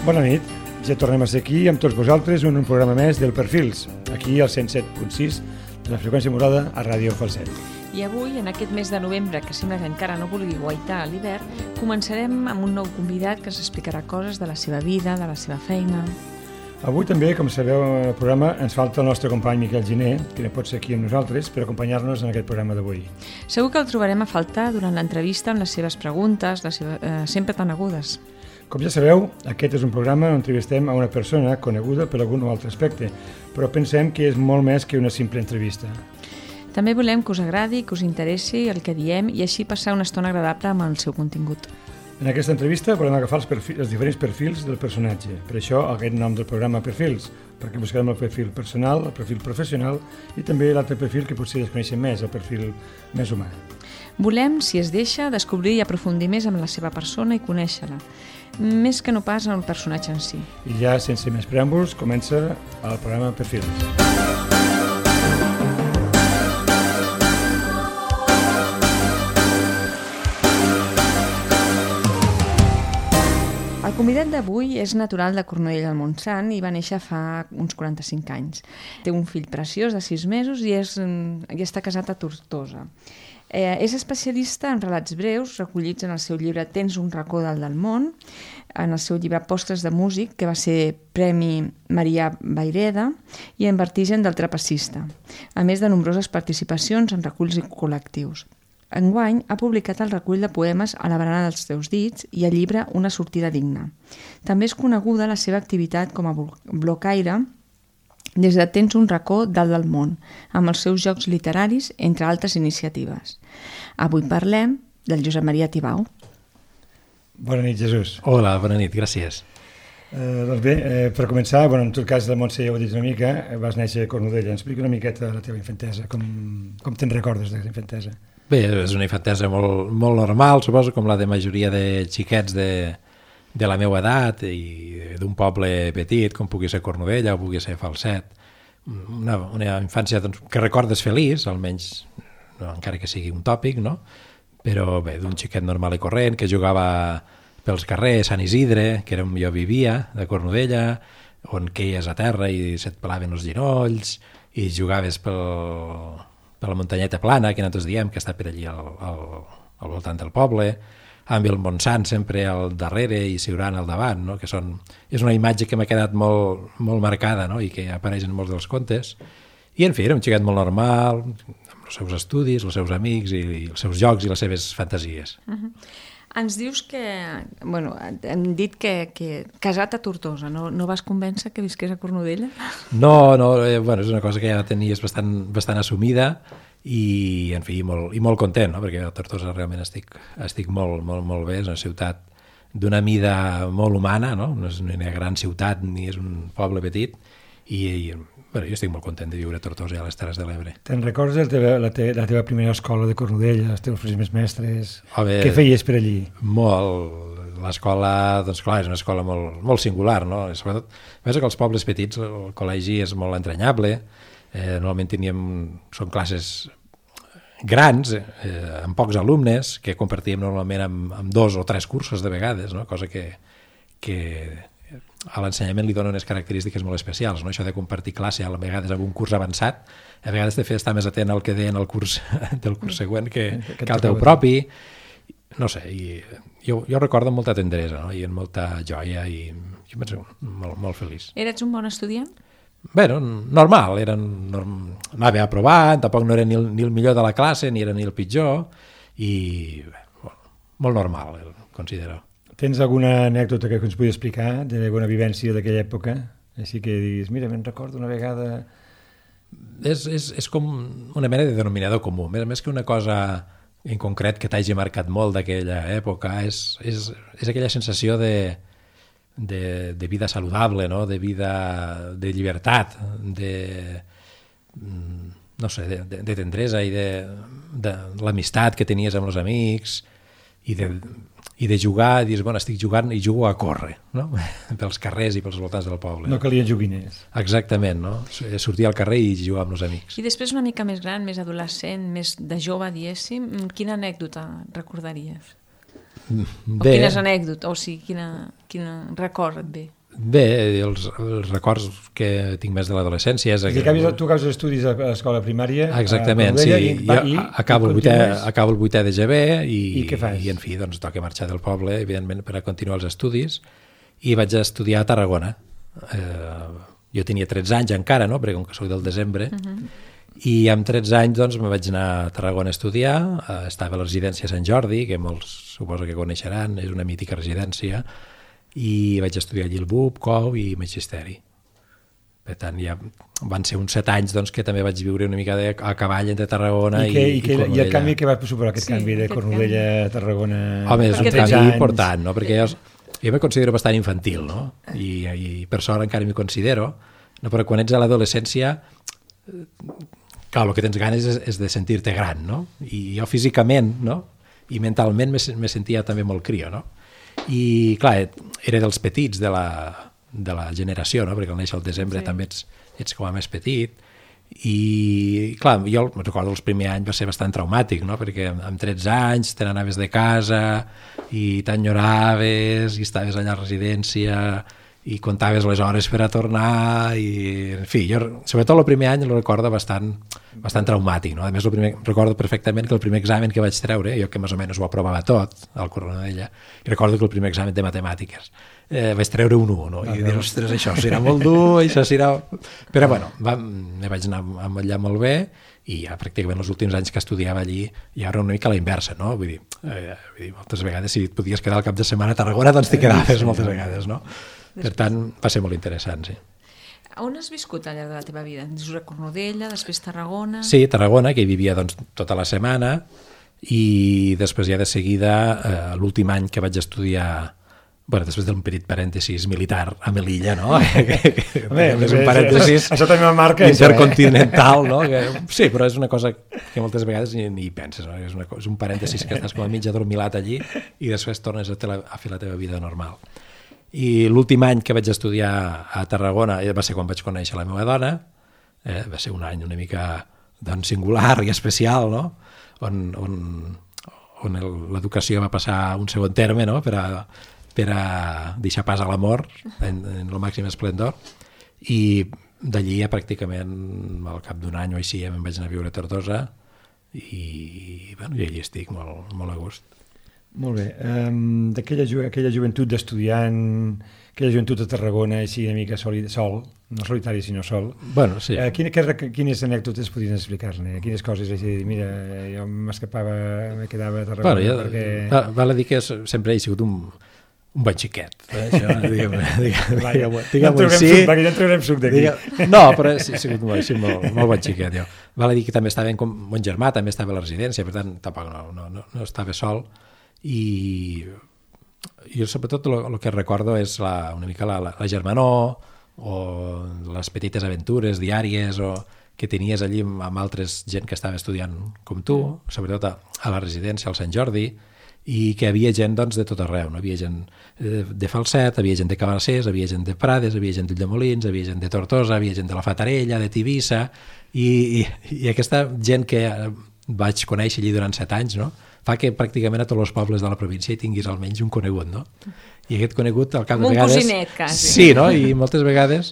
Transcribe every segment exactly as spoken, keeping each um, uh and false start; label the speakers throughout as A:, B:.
A: Bona nit, ja tornem a ser aquí amb tots vosaltres en un programa més del Perfils, aquí al cent set punt sis de la freqüència modulada a Ràdio Falset.
B: I avui, en aquest mes de novembre, que sembla que encara no vulgui guaitar a l'hivern, començarem amb un nou convidat que ens explicarà coses de la seva vida, de la seva feina.
A: Avui també, com sabeu, en el programa ens falta el nostre company Miquel Giner, que no pot ser aquí amb nosaltres, per acompanyar-nos en aquest programa d'avui.
B: Segur que el trobarem a faltar durant l'entrevista amb les seves preguntes, les seves, eh, sempre tan agudes.
A: Com ja sabeu, aquest és un programa on entrevistem a una persona coneguda per algun o altre aspecte, però pensem que és molt més que una simple entrevista.
B: També volem que us agradi, que us interessi el que diem i així passar una estona agradable amb el seu contingut.
A: En aquesta entrevista volem agafar els, perfils, els diferents perfils del personatge. Per això aquest nom del programa Perfils, perquè buscarem el perfil personal, el perfil professional i també l'altre perfil que potser desconeixem més, el perfil més humà.
B: Volem, si es deixa, descobrir i aprofundir més amb la seva persona i conèixer-la, més que no pas en el personatge en si.
A: I ja, sense més preàmbuls, comença el programa Perfils.
B: El convidat d'avui és natural de Cornudella del Montsant i va néixer fa uns quaranta-cinc anys. Té un fill preciós de sis mesos i, és, i està casat a Tortosa. Eh, és especialista en relats breus recollits en el seu llibre Tens un racó dalt del món, en el seu llibre Postres de músic, que va ser Premi Marià Vayreda, i en Vertigen del trapecista, a més de nombroses participacions en reculls col·lectius. Enguany ha publicat el recull de poemes A la barana dels teus dits i el llibre Una sortida digna. També és coneguda la seva activitat com a blocaire des de Tens un racó dalt del món, amb els seus jocs literaris, entre altres iniciatives. Avui parlem del Josep Maria Tibau.
A: Bona nit, Jesús.
C: Hola, bona nit, gràcies.
A: Eh, doncs bé, eh, per començar, bueno, en tot cas, la Montse ja ho ha dit una mica, vas néixer a Cornudella. Explica una miqueta la teva infantesa, com, com te'n recordes de la infantesa?
C: Bé, és una infantesa molt, molt normal, suposo, com la de majoria de xiquets de, de la meva edat i d'un poble petit, com pugui ser Cornudella o pugui ser Falset. Una, una infància doncs, que recordes feliç, almenys, no, encara que sigui un tòpic, no? Però bé, d'un xiquet normal i corrent que jugava pels carrers, Sant Isidre, que era on jo vivia, de Cornudella, on queies a terra i se't pelaven els ginolls i jugaves pel... per la muntanyeta plana, que nosaltres diem, que està per allí al, al, al voltant del poble, amb el Montsant sempre al darrere i Siurana al davant, no? Que són, és una imatge que m'ha quedat molt, molt marcada, no? I que apareix en molts dels contes. I, en fi, era un xiquet molt normal, amb els seus estudis, els seus amics, i, i els seus jocs i les seves fantasies.
B: Uh-huh. Ens dius que... Bueno, hem dit que, que casat a Tortosa, no, no vas convèncer que visqués a Cornudella?
C: No, no, eh, bueno, és una cosa que ja tenies bastant, bastant assumida i, en fi, molt, i molt content, no? Perquè a Tortosa realment estic, estic molt, molt, molt bé, és una ciutat d'una mida molt humana, no? No és una gran ciutat ni és un poble petit i, i bueno, jo estic molt content de viure a Tortosa i a les Terres de l'Ebre.
A: Te'n recordes la teva, la, te, la teva primera escola de Cornudella, els teus primers mestres?
C: Home,
A: què feies per allí?
C: Molt. L'escola, doncs clar, és una escola molt, molt singular, no? Sobretot, a més que els pobles petits el col·legi és molt entranyable, eh, normalment teníem, són classes grans, eh, amb pocs alumnes, que compartíem normalment amb, amb dos o tres cursos de vegades, no? Cosa que, que a l'ensenyament li dona unes característiques molt especials, no? Això de compartir classe a vegades amb un curs avançat, a vegades te fa estar més atent al que deien el curs del curs següent que, que al teu propi, no sé, i jo, jo recordo amb molta tendresa, no? I amb molta joia i jo penso molt, molt feliç.
B: Eres un bon estudiant?
C: Bé, no, normal, era norm... anava aprovant, tampoc no era ni el, ni el millor de la classe ni era ni el pitjor i bé, molt normal, el considero.
A: Tens alguna anècdota que ens pugui explicar d'alguna vivència d'aquella època? Així que diguis, mira, me'n recordo una vegada...
C: És, és, és com una mena de denominador comú. Més, més que una cosa en concret que t'hagi marcat molt d'aquella època, és, és, és aquella sensació de, de, de vida saludable, no? De vida de llibertat, de, no sé, de, de, de tendresa i de, de l'amistat que tenies amb els amics i de... i de jugar, dius, bueno, estic jugant i jugo a córrer, no? Pels carrers i pels voltants del poble.
A: No calien joguiners.
C: Exactament, no? Sortir al carrer i jugar amb els amics.
B: I després una mica més gran, més adolescent, més de jove, diguéssim, quina anècdota recordaries?
C: Bé.
B: O quines anècdotes, o sigui, quina, quina record et ve?
C: Bé, els, els records que tinc més de l'adolescència és...
A: I que tu acabes estudis a l'escola primària
C: exactament,
A: a
C: sí.
A: I, va,
C: jo
A: i,
C: acabo,
A: i
C: el vuitè, acabo el vuitè de G B i,
A: I què fas?
C: I en fi, doncs toca marxar del poble, evidentment, per a continuar els estudis, i vaig a estudiar a Tarragona. Eh, jo tenia tretze anys encara, no?, perquè com que soc del desembre, uh-huh. I amb tretze anys doncs me vaig anar a Tarragona a estudiar, eh, estava a la residència Sant Jordi, que molts suposo que coneixeran, és una mítica residència, i vaig estudiar allí el B U P, C O U i Magisteri. Per tant, ja van ser uns set anys doncs, que també vaig viure una mica de, a cavall entre Tarragona i,
A: que,
C: i,
A: i Cornudella. I el canvi que va suposar aquest sí, canvi de Cornudella a Tarragona?
C: Home, és un canvi
A: anys.
C: important, no? Perquè jo, jo me considero bastant infantil, no? I, i per sort encara m'hi considero, no? Però quan ets a l'adolescència, clar, el que tens ganes és, és de sentir-te gran, no? I jo físicament, no? I mentalment me, me sentia també molt crio, no? I clar, era dels petits de la, de la generació, no? Perquè al néixer al desembre sí. també ets, ets com a més petit, i clar, jo recordo els primers anys va ser bastant traumàtic, no? Perquè amb tretze anys te n'anaves de casa i t'enyoraves i estaves allà a la residència i comptaves les hores per a tornar i, en fi, jo sobretot el primer any el recordo bastant, bastant traumàtic, no? A més, el primer, recordo perfectament que el primer examen que vaig treure, jo que més o menys ho aprovava tot al Cornudella, i recordo que el primer examen de matemàtiques eh, vaig treure un u, no? I dir, ostres, això serà molt dur, això serà... Però bueno, va, me vaig anar allà molt bé i ja pràcticament els últims anys que estudiava allí ja era una mica la inversa, no? Vull dir, eh, vull dir moltes vegades si et podies quedar al cap de setmana a Tarragona, doncs t'hi quedaves moltes vegades, no? Per tant, va ser molt interessant, sí.
B: On has viscut al llarg de la teva vida? Dius a Cornudella, després Tarragona...
C: Sí, Tarragona, que hi vivia doncs, tota la setmana, i després ja de seguida, eh, l'últim any que vaig estudiar, bueno, després d'un petit parèntesis militar a Melilla, no? que, que, Home, és un parèntesis
A: això també marca
C: intercontinental, això, eh? no? Que, sí, però és una cosa que moltes vegades ni, ni hi penses, no? És, una, és un parèntesis que estàs com a mig adormilat allí i després tornes a, la, a fer la teva vida normal. I l'últim any que vaig estudiar a Tarragona va ser quan vaig conèixer la meva dona, eh, va ser un any una mica doncs, singular i especial, no? on, on, on l'educació va passar a un segon terme, no? per, a, per a deixar pas a l'amor en, en el màxim esplendor, i d'allí ja pràcticament al cap d'un any o així ja me'n vaig anar a viure a Tortosa i, bueno, i allí estic molt, molt a gust.
A: Molt bé. Um, d'aquella ju aquella joventut d'estudiant, aquella joventut de Tarragona, així una mica soli sol, no solitari sinó sol,
C: bueno, sí.
A: uh, quines, quines anècdotes podrien explicar-ne? Quines coses així de dir, mira, jo m'escapava, me quedava a Tarragona
C: bueno, jo,
A: perquè...
C: Val a dir que sempre he sigut un, un bon xiquet. Eh? Això, diguem, diguem,
A: Va,
C: diguem,
A: ja,
C: diguem,
A: ja
C: sí,
A: suc, perquè ja en traurem suc d'aquí.
C: No, però he sigut molt, molt, molt bon xiquet. Jo. Val a dir que també estava com mon germà, també estava a la residència, per tant, tampoc no, no, no, no estava sol. I jo sobretot el que recordo és la, una mica la, la, la germanor o les petites aventures diàries o que tenies allí amb, amb altres gent que estava estudiant com tu, sobretot a, a la residència al Sant Jordi, i que hi havia gent doncs, de tot arreu, no? Hi havia gent de Falset, hi havia gent de Cabassers, hi havia gent de Prades, hi havia gent d'Ulldemolins, hi havia gent de Tortosa, hi havia gent de la Fatarella, de Tivissa, i, i, i aquesta gent que vaig conèixer allí durant set anys, no? Fa que pràcticament a tots els pobles de la província hi tinguis almenys un conegut, no? I aquest conegut al cap de vegades...
B: Un cosinet, quasi.
C: Sí, no? I moltes vegades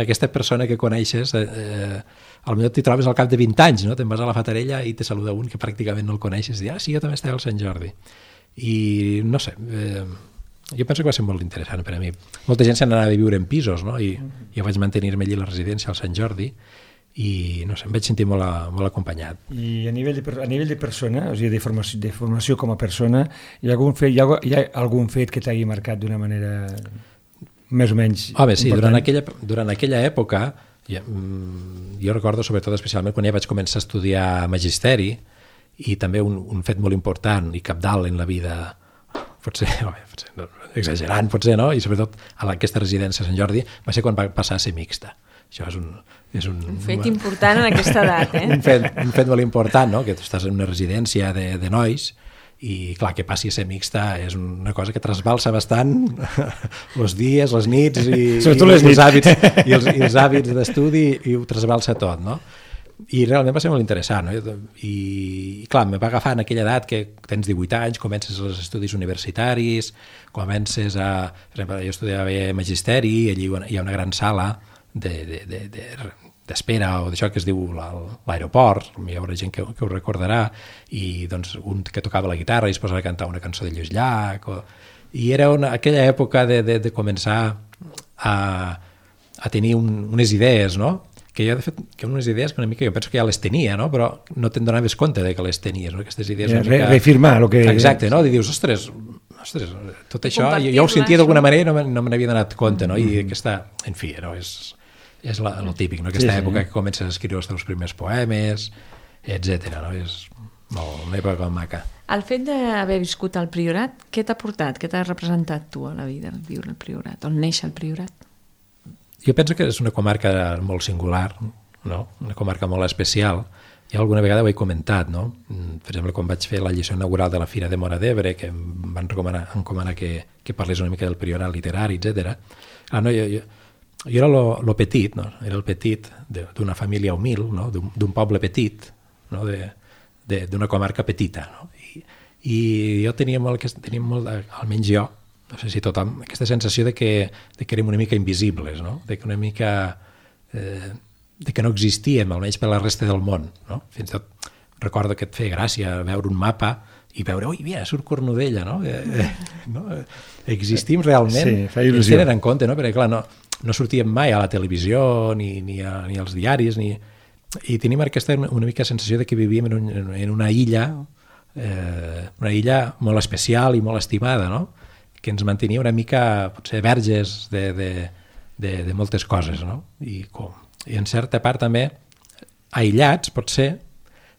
C: aquesta persona que coneixes eh, eh, potser t'hi trobes al cap de vint anys, no? Te'n vas a la Fatarella i te saluda un que pràcticament no el coneixes i dius, ah, sí, jo també estava al Sant Jordi. I no sé, eh, jo penso que va ser molt interessant per a mi. Molta gent se n'anava a viure en pisos, no? I jo vaig mantenir-me allí a la residència al Sant Jordi i no sé, em vaig sentir molt, a, molt acompanyat.
A: I a nivell de, a nivell de persona, o sigui, de formació, de formació com a persona, hi ha algun fet, hi ha, hi ha algun fet que t'hagi marcat d'una manera més o menys
C: Home, sí,
A: important?
C: durant aquella, durant aquella època, jo, jo recordo sobretot especialment quan ja vaig començar a estudiar magisteri, i també un, un fet molt important i cabdal en la vida, potser, home, potser no, exagerant, potser, no? I sobretot a aquesta residència a Sant Jordi, va ser quan va passar a ser mixta. Això és un... És un,
B: un fet important en aquesta edat, eh?
C: un, fet, un fet molt important, no? Que tu estàs en una residència de, de nois i, clar, que passi a ser mixta és una cosa que trasbalsa bastant els dies, les nits i, i,
A: les
C: els, hàbits, i, els, i els hàbits d'estudi i ho trasbalsa tot, no? I realment va ser molt interessant, no? I, i clar, em va agafar en aquella edat que tens divuit anys, comences els estudis universitaris, comences a... Per exemple, jo estudiava magisteri, i allí hi ha una gran sala de, de, de, de, d'espera o d'això que es diu l'aeroport, hi haurà gent que, que ho recordarà, i doncs un que tocava la guitarra i es posava a cantar una cançó de Lluís Llach, o... i era una, aquella època de, de, de començar a, a tenir un, unes idees, no? Que jo, de fet, que unes idees que una mica jo penso que ja les tenia, no? Però no te'n donaves compte de que les tenies, no? Aquestes idees una
A: Re,
C: mica...
A: Reafirmar el que...
C: Exacte, no? I dius, ostres, ostres tot això, jo, jo ho sentia d'alguna manera i no, me, no me n'havia donat compte, no? I aquesta, en fi, no? és, és la, el típic, no? Aquesta sí, època sí. que comences a escriure els teus primers poemes, etcètera, no? És molt, una època maca.
B: El fet d'haver viscut al Priorat, què t'ha portat? Què t'ha representat tu a la vida, viure al Priorat? On néixer al Priorat?
C: Jo penso que és una comarca molt singular, no? Una comarca molt especial. Ja alguna vegada ho he comentat, no? Per exemple, quan vaig fer la lliçó inaugural de la Fira de Móra d'Ebre, que em van recomanar, encomanar que, que parlés una mica del Priorat literari, etcètera. Ah, no, jo, jo, jo era lo, lo petit, no? Era el petit d'una família humil, no? D'un poble petit, no? D'una comarca petita, no? I, i jo tenia molt, tenia molt, almenys jo, no sé si tothom, aquesta sensació de que, de que érem una mica invisibles, no? De que una mica... Eh, de que no existíem, almenys per la resta del món, no? Fins i tot recordo que et feia gràcia veure un mapa i veure, ui, mira, surt Cornudella, no? Eh, eh, no? Existim realment,
A: sí, fa il·lusió.
C: Ens tenen en compte, no? Perquè clar, no, no sortíem mai a la televisió ni, ni, a, ni als diaris, ni... i tenim aquesta una mica sensació de que vivíem en, un, en una illa, eh, una illa molt especial i molt estimada, no? Que ens mantenia una mica, potser, verges de, de, de, de moltes coses, no? I, com, i en certa part també aïllats, potser,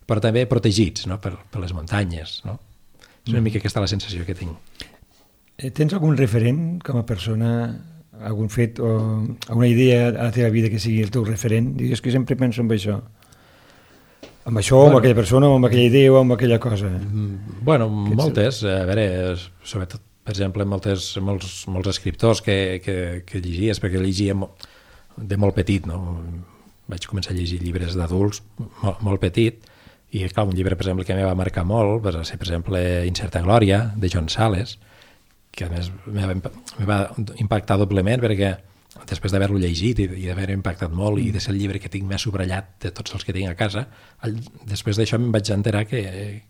C: però també protegits, no? per, per les muntanyes, no? És una mica aquesta la sensació que tinc.
A: Tens algun referent com a persona, algun fet o alguna idea a la teva vida que sigui el teu referent? Digues que sempre penso en això. Amb això, bueno, amb aquella persona, o amb aquella idea, o amb aquella cosa.
C: Bueno, moltes. A veure, sobretot, per exemple, moltes, molts, molts escriptors que, que, que llegies, perquè llegia de molt petit, no? Vaig començar a llegir llibres d'adults molt, molt petit, i clar, un llibre, per exemple, que em va marcar molt va ser, per exemple, Incerta Glòria, de John Sales, que a més em va impactar doblement perquè després d'haver-lo llegit i, i d'haver impactat molt i de ser el llibre que tinc més subratllat de tots els que tinc a casa, el, després d'això em vaig enterar que,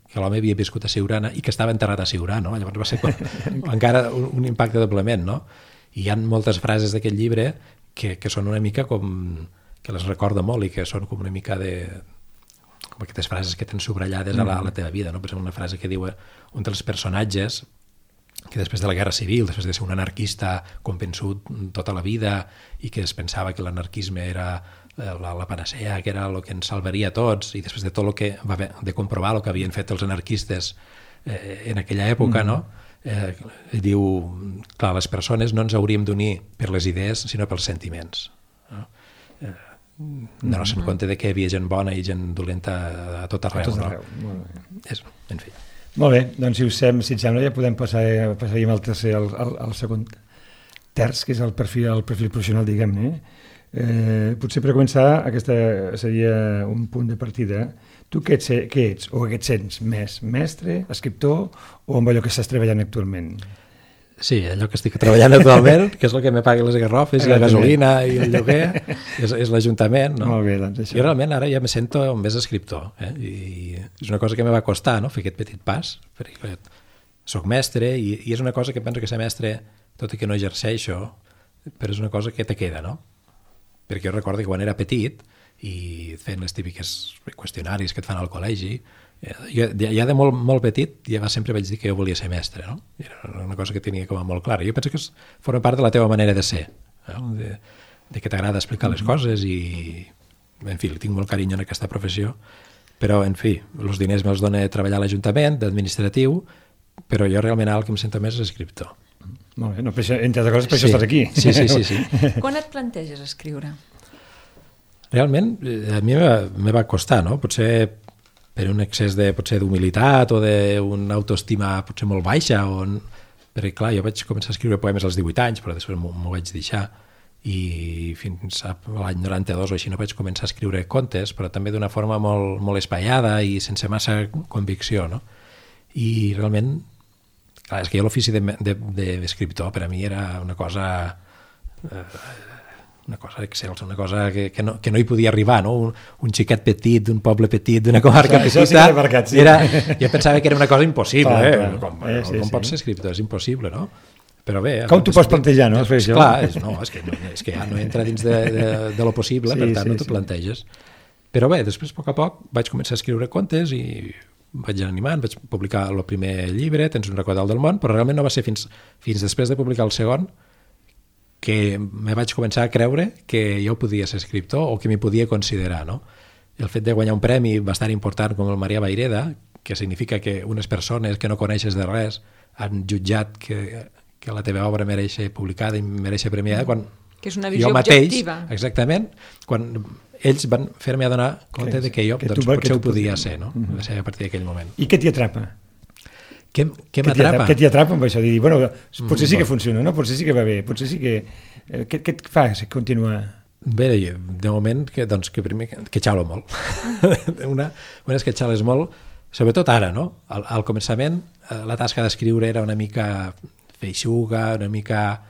C: que l'home havia viscut a Siurana i que estava enterrat a Siurana, no? Llavors va ser com, encara un, un impacte doblement, no? I hi ha moltes frases d'aquest llibre que, que són una mica com... que les recordo molt i que són com una mica de... com aquestes frases que tens subratllades a la, a la teva vida, no? Per exemple, una frase que diu un dels personatges que després de la Guerra Civil, després de ser un anarquista convençut tota la vida i que es pensava que l'anarquisme era la, la panacea, que era el que ens salvaria a tots, i després de tot el que va haver de comprovar el que havien fet els anarquistes eh, en aquella època, mm. no? Eh, diu, clar, les persones no ens hauríem d'unir per les idees, sinó pels sentiments. No? Eh, donar-se en compte de que hi havia gent bona i gent dolenta a tot arreu. A tot arreu. No? Molt bé. És, en fi.
A: Molt bé, doncs si us sem, si et sembla ja podem passar, passaríem al tercer, al, al, al segon terç, que és el perfil, el perfil professional, diguem-ne. Eh, potser per començar, aquesta seria un punt de partida. Tu què ets, què ets o què et sents més? Mestre, escriptor o amb allò que estàs treballant actualment?
C: Sí, allò que estic treballant actualment, que és el que me pagui les garrofes i la gasolina i el lloguer, és, és l'Ajuntament. No?
A: Molt bé, doncs això.
C: Jo realment ara ja me sento més escriptor, eh? I és una cosa que me va costar, no?, fer aquest petit pas, perquè soc mestre i, i és una cosa que penso que ser mestre, tot i que no exerceixo, però és una cosa que te queda, no? Perquè jo recordo que quan era petit i fent les típiques qüestionaris que et fan al col·legi, ja, ja de molt, molt petit ja sempre vaig dir que jo volia ser mestre, no? Era una cosa que tenia com a molt clara. Jo penso que és, forma part de la teva manera de ser, no? de, de que t'agrada explicar les coses i, en fi, tinc molt carinyo en aquesta professió, però, en fi, els diners me'ls dona treballar a l'Ajuntament, d'administratiu, però jo realment el que em sento més és escriptor.
A: Molt bé, no, per això, entre altres coses, per sí. això estàs aquí.
C: Sí, sí, sí, sí.
B: Quan et planteges escriure?
C: Realment, a mi me va costar, no? Potser per un excés de, potser d'humilitat o d'una autoestima potser molt baixa, o... perquè clar, jo vaig començar a escriure poemes als divuit anys, però després m'ho vaig deixar, i fins a l'any noranta-dos o així no vaig començar a escriure contes, però també d'una forma molt, molt espaiada i sense massa convicció, no? I realment, clar, és que jo l'ofici d'escriptor per a mi era una cosa eh, una cosa excels, una cosa que, que, no, que no hi podia arribar, no? Un, un xiquet petit, d'un poble petit, d'una comarca
A: això,
C: petita,
A: això sí marcat, sí.
C: Era, jo pensava que era una cosa impossible,
A: clar,
C: eh?
A: clar.
C: Com,
A: eh, sí,
C: com
A: sí.
C: pots ser escriptor? És impossible, no? Però bé...
A: Com t'ho pots plantejar, no?
C: És, clar, és, no, és, que, no, és que ja no entra dins de, de, de lo possible, sí, per tant sí, no t'ho sí. planteges. Però bé, després, a poc a poc, vaig començar a escriure contes i vaig animant, vaig publicar el primer llibre, Tens un racó dalt del món, però realment no va ser fins, fins després de publicar el segon que me vaig començar a creure que jo podia ser escriptor o que m'hi podia considerar, no? I el fet de guanyar un premi bastant important com el Maria Vayreda, que significa que unes persones que no coneixes de res han jutjat que, que la teva obra mereix ser publicada i mereix ser premiada, quan
B: que és una visió
C: jo mateix,
B: objectiva.
C: Exactament, quan ells van fer-me adonar compte de que jo
A: que
C: doncs,
A: tu,
C: potser
A: que
C: ho podia ser, no? Uh -huh. Va ser a partir d'aquell moment.
A: I què t'hi atrapa?
C: Què, què m'atrapa?
A: Què t'hi atrapa amb això? Dir, bueno, potser sí que funciona, no? Potser sí que va bé, potser sí que... Què, què et fa continuar?
C: Bé, de moment, que, doncs, que primer que xalo molt. una, una és que xales molt, sobretot ara, no? Al, al començament, la tasca d'escriure era una mica feixuga, una mica...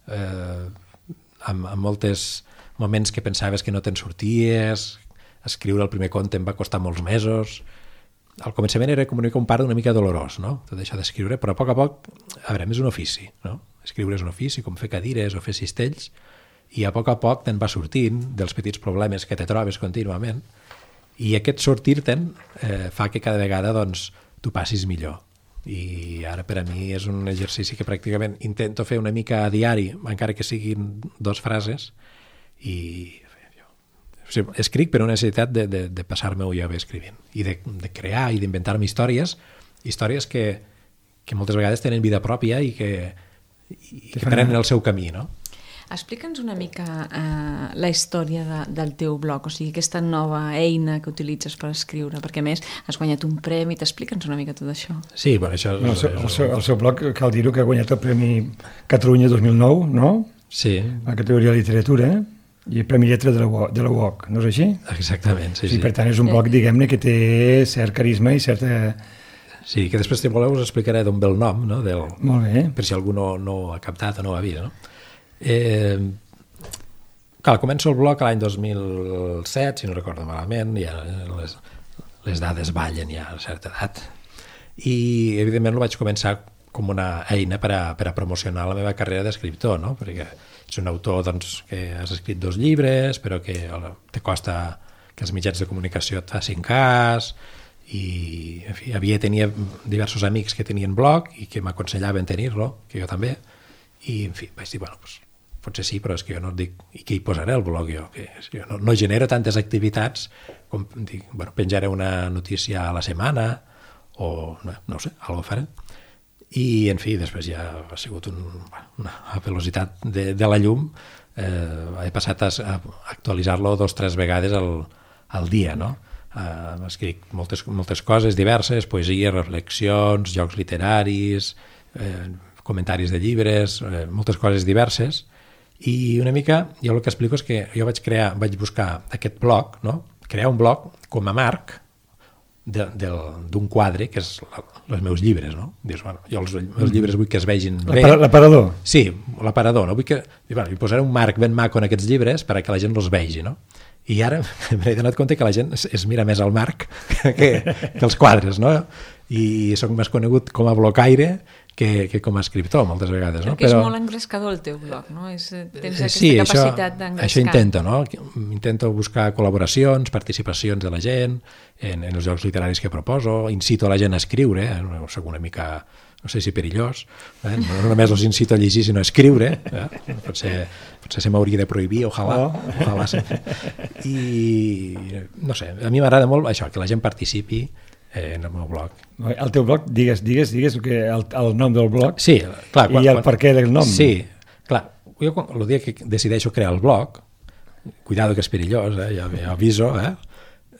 C: Eh, amb, amb molts moments que pensaves que no te'n sorties, escriure el primer conte em va costar molts mesos. Al començament era com un part una mica dolorós, no? Tot això d'escriure, però a poc a poc, a veure, és un ofici, no? Escriure és un ofici, com fer cadires o fer cistells, i a poc a poc te'n va sortint dels petits problemes que te trobes contínuament, i aquest sortir-te'n eh, fa que cada vegada doncs, tu passis millor. I ara per a mi és un exercici que pràcticament intento fer una mica a diari, encara que siguin dos frases, i o sigui, escric per una necessitat de, de, de passar-me-ho jo bé escrivint, i de, de crear i d'inventar-me històries, històries que, que moltes vegades tenen vida pròpia i que, i que prenen el seu camí, no?
B: Explica'ns una mica eh, la història de, del teu blog, o sigui, aquesta nova eina que utilitzes per escriure, perquè a més has guanyat un premi, t'explica'ns una mica tot això.
C: Sí, bueno, això...
A: No, el, seu, el, seu, el seu blog, cal dir-ho, que ha guanyat el Premi Catalunya dos mil nou, no?
C: Sí.
A: La categoria de literatura, i el Premi Lletra de la, de la U O C, no és així?
C: Exactament, sí,
A: sí.
C: sí.
A: Per tant, és un blog, diguem-ne, que té cert carisma i certa...
C: Sí, que després, si voleu, us explicaré d'on ve el nom, no? Del...
A: Molt bé.
C: Per si algú no, no ha captat o no ho ha vist, no? Eh, clar, començo el blog l'any dos mil set, si no recordo malament, ja les, les dades ballen ja a certa edat, i evidentment ho vaig començar com una eina per a, per a promocionar la meva carrera d'escriptor, no? Perquè ets un autor doncs, que has escrit dos llibres, però que te costa que els mitjans de comunicació et facin cas, i en fi, havia, tenia diversos amics que tenien blog i que m'aconsellaven tenir-lo, que jo també, i en fi, vaig dir, bueno, doncs potser sí, però és que jo no dic i què hi posaré al blog jo, que jo no, no genero tantes activitats com dic, bueno, penjaré una notícia a la setmana o no, no ho sé, alguna cosa faré, i en fi, després ja ha sigut un, una velocitat de, de la llum, eh, he passat a, a actualitzar-lo dos o tres vegades al, al dia, no? Uh, escric moltes, moltes coses diverses, poesia, reflexions, jocs literaris, eh, comentaris de llibres, eh, moltes coses diverses, i una mica jo el que explico és que jo vaig crear, vaig buscar aquest blog, no? Crear un blog com a marc d'un quadre que és la, els meus llibres, no? Dius, bueno, jo els meus llibres vull que es vegin bé.
A: L'aparador?
C: Sí, l'aparador, no? Vull que, bueno, hi posaré un marc ben maco en aquests llibres perquè la gent els vegi, no? I ara m'he donat compte que la gent es, es mira més al marc que, que els quadres, no? I soc més conegut com a blocaire que, que com a escriptor, moltes vegades, no?
B: Perquè és Però... molt engrescador el teu blog, no? És, tens aquesta
C: sí,
B: capacitat d'engrescar.
C: Això intento, no? Intento buscar col·laboracions, participacions de la gent en, en els jocs literaris que proposo, incito a la gent a escriure, eh? Soc una mica... no sé si perillós, eh? no només els incito a llegir, sinó a escriure, eh? potser, potser se m'hauria de prohibir, ojalà, oh. ojalà sí. I no sé, a mi m'agrada molt això, que la gent participi eh, en el meu blog.
A: El teu blog, digues, digues, digues que el, el nom del blog
C: sí, clar, quan,
A: i el per què del nom.
C: Sí, clar, jo el dia que decideixo crear el blog, cuidado que és perillós, eh? ja, ja aviso, eh?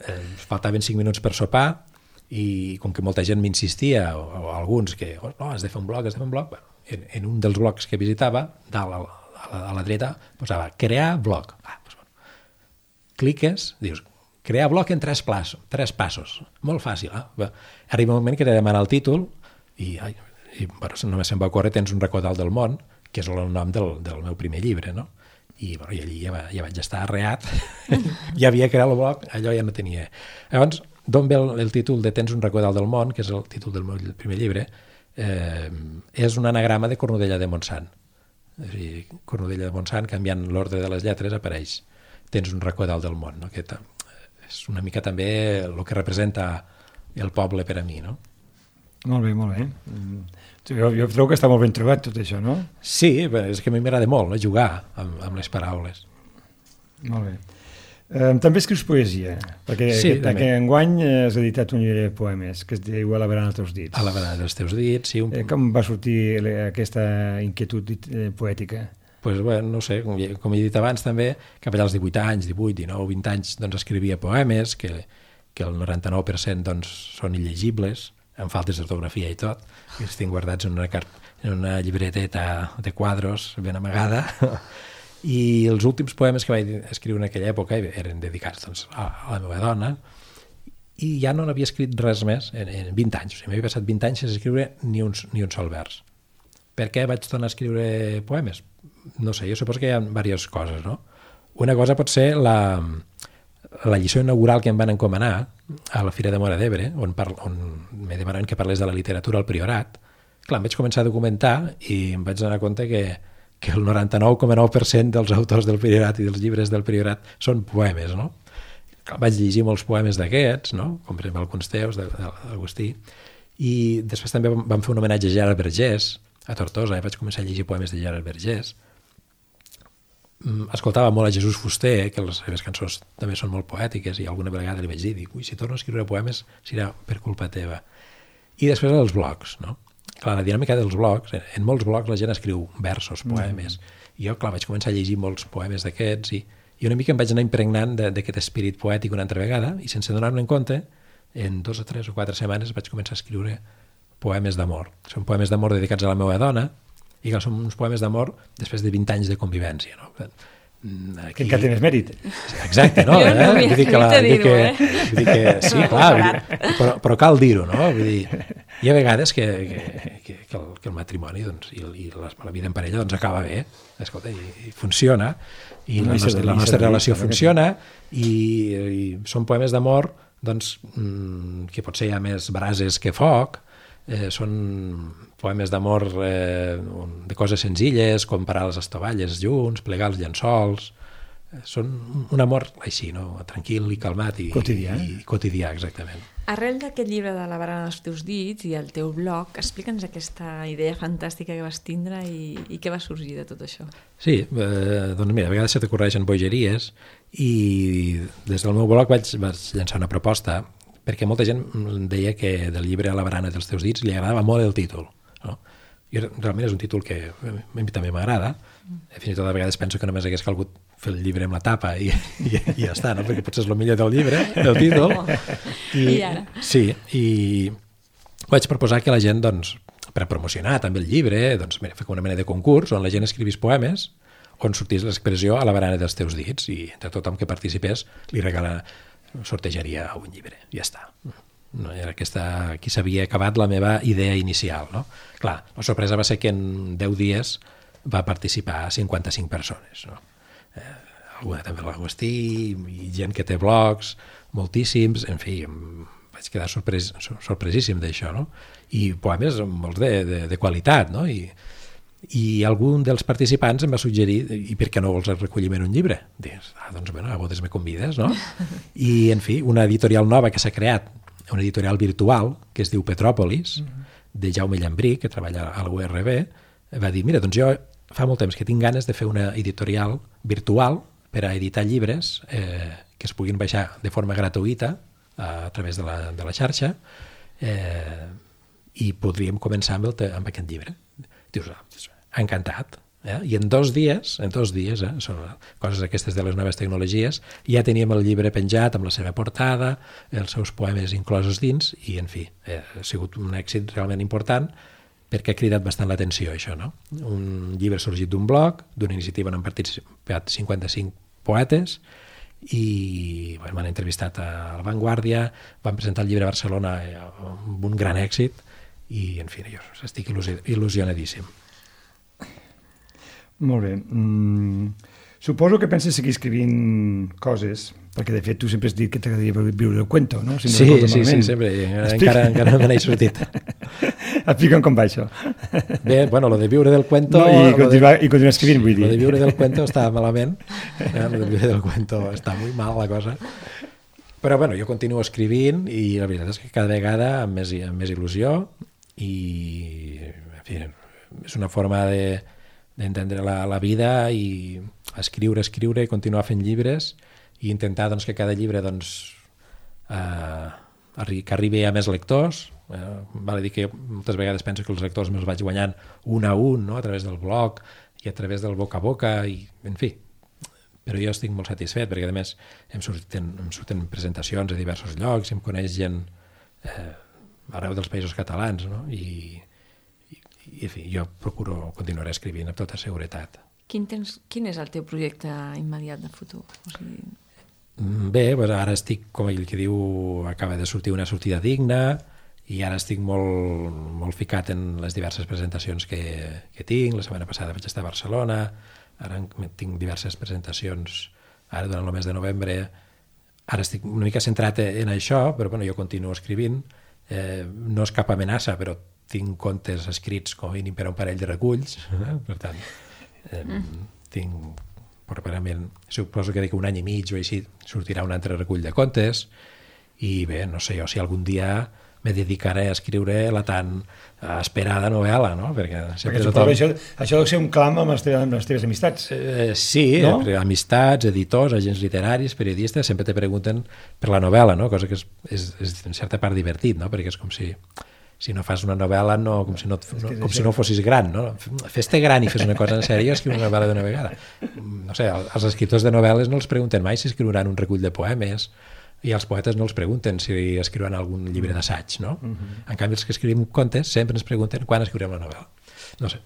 C: Eh, faltaven cinc minuts per sopar, i com que molta gent m'insistia, o, o alguns que, oh, no, has de fer un blog, has de fer un blog, bueno, en, en un dels blogs que visitava, dalt al, a la, a la dreta posava crear blog. Ah, doncs, bueno. Cliques, dius, crear blog en tres, plaços, tres passos. Molt fàcil. Eh? Arriba un moment que t'he de demanar el títol i, ai, i bueno, només se'm va ocórrer Tens un racó dalt del món, que és el nom del, del meu primer llibre, no? I, bueno, i allí ja, va, ja vaig estar arreat. Ja havia creat el blog, allò ja no tenia. Llavors, d'on ve el, el títol de Tens un racó dalt del món, que és el títol del meu primer llibre, eh, és un anagrama de Cornudella de Montsant. És a dir, Cornudella de Montsant, canviant l'ordre de les lletres, apareix Tens un racó dalt del món. No? Que és una mica també el que representa el poble per a mi, no?
A: Molt bé, molt bé. Jo, jo trobo que està molt ben trobat tot això, no?
C: Sí, és que a mi m'agrada molt, no? Jugar amb, amb les paraules.
A: Molt bé. Um, també escrius poesia, perquè
C: sí,
A: aquest, aquest enguany has editat un llibre de poemes que es diu A la barana dels teus dits.
C: A la barana dels teus dits, sí. Un...
A: Eh, com va sortir aquesta inquietud poètica?
C: Pues, bueno, no sé, com, com he dit abans també, cap allà als divuit anys, divuit, dinou, vint anys, doncs escrivia poemes, que, que el noranta-nou per cent doncs, són il·legibles, amb faltes d'ortografia i tot, que els tinc guardats en una, en una llibreteta de quadros ben amagada, i els últims poemes que vaig escriure en aquella època eren dedicats doncs, a, a la meva dona, i ja no n'havia escrit res més en, en vint anys, o sigui, m'havia passat vint anys sense escriure ni un, ni un sol vers. Per què vaig tornar a escriure poemes? No sé, jo suposo que hi ha diverses coses, no? Una cosa pot ser la... la lliçó inaugural que em van encomanar a la Fira de Móra d'Ebre, on, on me demanaven que parlés de la literatura al Priorat. Clar, em vaig començar a documentar i em vaig donar compte que, que el noranta-nou coma nou per cent dels autors del Priorat i dels llibres del Priorat són poemes, no? Clar, vaig llegir molts poemes d'aquests, no? Com per exemple alguns teus, d'Agustí, i després també vam fer un homenatge a Gerard Vergés, a Tortosa, i vaig començar a llegir poemes de Gerard Vergés. Escoltava molt a Jesús Fuster, que les seves cançons també són molt poètiques, i alguna vegada li vaig dir, dic, ui, si torno a escriure poemes serà per culpa teva. I després els blogs, no? Clar, la dinàmica dels blogs, en molts blogs la gent escriu versos, poemes, mm. i jo, clar, vaig començar a llegir molts poemes d'aquests, i, i una mica em vaig anar impregnant d'aquest espírit poètic una altra vegada, i sense donar-me en compte, en dos o tres o quatre setmanes vaig començar a escriure poemes d'amor. Són poemes d'amor dedicats a la meva dona, i que són uns poemes d'amor després de vint anys de convivència, no?
A: Aquí... Que encara tens mèrit.
C: Exacte, no?
B: Jo no
C: eh?
B: m'hi
C: Vull dir que, la,
B: a dir-ho,
C: que,
B: eh?
C: vull dir que sí, clar, dir, però, però cal dir-ho, no? Vull dir, hi ha vegades que, que, que, que, el, que el matrimoni doncs, i, i la, la vida en parella doncs, acaba bé, escolta, i, i funciona, i la nostra, la nostra relació funciona, i, i són poemes d'amor doncs, que potser hi ha més brases que foc, eh, són poemes d'amor eh, de coses senzilles, com parar les estovalles junts, plegar els llençols, eh, són un amor així, no? Tranquil i calmat i
A: quotidià,
C: i, i quotidià, exactament.
B: Arrel d'aquest llibre de La barana dels teus dits i el teu blog, explica'ns aquesta idea fantàstica que vas tindre i, i què va sorgir de tot això.
C: Sí, eh, doncs mira, a vegades se t'ocorreixen bogeries i des del meu blog vaig, vaig llançar una proposta perquè molta gent deia que del llibre A la barana dels teus dits li agradava molt el títol. No? I realment és un títol que a mi també m'agrada. Fins i tot a vegades penso que només hagués calgut fer el llibre amb la tapa i, i, i ja està, no? Perquè potser és el millor del llibre, el títol.
B: I, I ara?
C: Sí, i vaig proposar que la gent, doncs, per promocionar també el llibre, doncs, mira, fer una mena de concurs on la gent escrivís poemes on sortís l'expressió A la barana dels teus dits i entre tothom que participés li regala, sortejaria un llibre. Ja està. No, era aquesta, aquí s'havia acabat la meva idea inicial, no? Clar, la sorpresa va ser que en deu dies va participar cinquanta-cinc persones, no? Eh, alguna també l'Agustí i gent que té blogs, moltíssims, en fi, em vaig quedar sorpres, sorpresíssim d'això, no? I poemes molts de, de, de qualitat, no? I, i algun dels participants em va suggerir i per què no vols recollir en un llibre? Dius, ah, doncs bueno, a bodes me convides, no? I, en fi, una editorial nova que s'ha creat, una editorial virtual que es diu Petròpolis, de Jaume Llambrí, que treballa a la U R B, va dir, mira, doncs jo fa molt temps que tinc ganes de fer una editorial virtual per a editar llibres eh, que es puguin baixar de forma gratuïta a, a través de la, de la xarxa eh, i podríem començar amb, el, amb aquest llibre. Dius, ah, encantat. Eh? I en dos dies, en dos dies, eh, són coses aquestes de les noves tecnologies, ja teníem el llibre penjat amb la seva portada, els seus poemes inclosos dins, i en fi, eh, ha sigut un èxit realment important perquè ha cridat bastant l'atenció això, no? Un llibre sorgit d'un blog, d'una iniciativa on han participat cinquanta-cinc poetes, i bueno, m'han entrevistat a La Vanguardia, van presentar el llibre a Barcelona amb un gran èxit, i en fi, jo estic il·lusionadíssim.
A: Molt bé. Mm, suposo que penses seguir escrivint coses, perquè de fet tu sempre has dit que t'agradaria viure el cuento, no? Si no
C: sí, sí, sí, sempre. Encara, encara no me n'he sortit.
A: Explica'm com va això.
C: Bé, bueno, lo de viure del cuento...
A: No, i, continuar, de, i continuar escrivint, vull dir.
C: Lo de viure del cuento està malament. Eh? Lo de viure del cuento està molt mal, la cosa. Però, bueno, jo continuo escrivint i la veritat és que cada vegada amb més, amb més il·lusió i, en fi, és una forma de, d'entendre la, la vida i escriure, escriure i continuar fent llibres i intentar doncs, que cada llibre doncs, eh, que arribi a més lectors. Eh, val a dir que moltes vegades penso que els lectors me'ls vaig guanyant un a un, no? A través del blog i a través del boca a boca, i en fi. Però jo estic molt satisfet perquè a més em surten, em surten presentacions a diversos llocs, em coneix gent eh, arreu dels països catalans, no? I, i, i en fi, jo procuro continuar escrivint amb tota seguretat.
B: Quin, tens, quin és el teu projecte immediat de futur? O sigui...
C: Bé, doncs ara estic, com ell que diu, acaba de sortir Una sortida digna, i ara estic molt, molt ficat en les diverses presentacions que, que tinc. La setmana passada vaig estar a Barcelona, ara tinc diverses presentacions ara durant el mes de novembre. Ara estic una mica centrat en això, però bueno, jo continuo escrivint. Eh, no és cap amenaça, però tinc contes escrits com a mínim per a un parell de reculls. Eh? Per tant, eh, mm. tinc... Properament, suposo que d'aquí un any i mig o així sortirà un altre recull de contes, i bé, no sé jo si algun dia me dedicaré a escriure la tan esperada novel·la, no? Perquè,
A: Perquè tothom... això, això deu ser un clam amb les teves, amb les teves amistats.
C: Eh, sí,
A: no?
C: Amistats, editors, agents literaris, periodistes, sempre te pregunten per la novel·la, no? Cosa que és, és, és en certa part divertit, no? Perquè és com si... si no fas una novel·la, no, com, si no, no, com si no fossis gran, no? Fes-te gran i fes una cosa en sèrio, escriu una novel·la d'una vegada. No sé, els escriptors de novel·les no els pregunten mai si escriuran un recull de poemes, i els poetes no els pregunten si escriuran algun llibre d'assaig, no? Uh-huh. En canvi, els que escrivim contes sempre ens pregunten quan escriurem la novel·la. No sé.